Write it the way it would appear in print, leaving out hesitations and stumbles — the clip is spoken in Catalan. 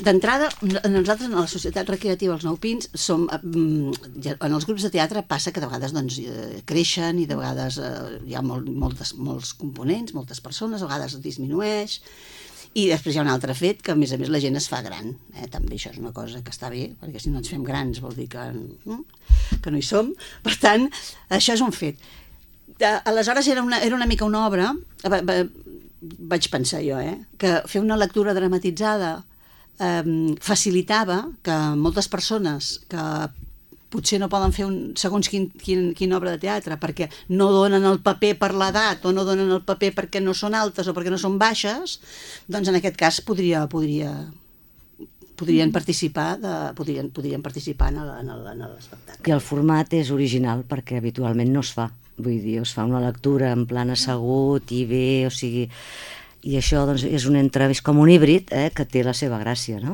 D'entrada, nosaltres en la Societat Recreativa Els Nou Pins som, en els grups de teatre passa que de vegades creixen i de vegades hi ha molts components, moltes persones, a vegades disminueix, i després hi ha un altre fet, que a més la gent es fa gran, també això és una cosa que està bé, perquè si no ens fem grans vol dir que no hi som, per tant, això és un fet. Aleshores era una mica una obra, vaig pensar jo, que fer una lectura dramatitzada facilitava que moltes persones que potser no poden fer segons quina obra de teatre perquè no donen el paper per l'edat o no donen el paper perquè no són altes o perquè no són baixes, doncs en aquest cas podrien participar en l'espectacle. Que el format és original perquè habitualment no es fa, vull dir, es fa una lectura en plan assegut i bé, o sigui, i això doncs és un entrevist com un híbrid que té la seva gràcia, no?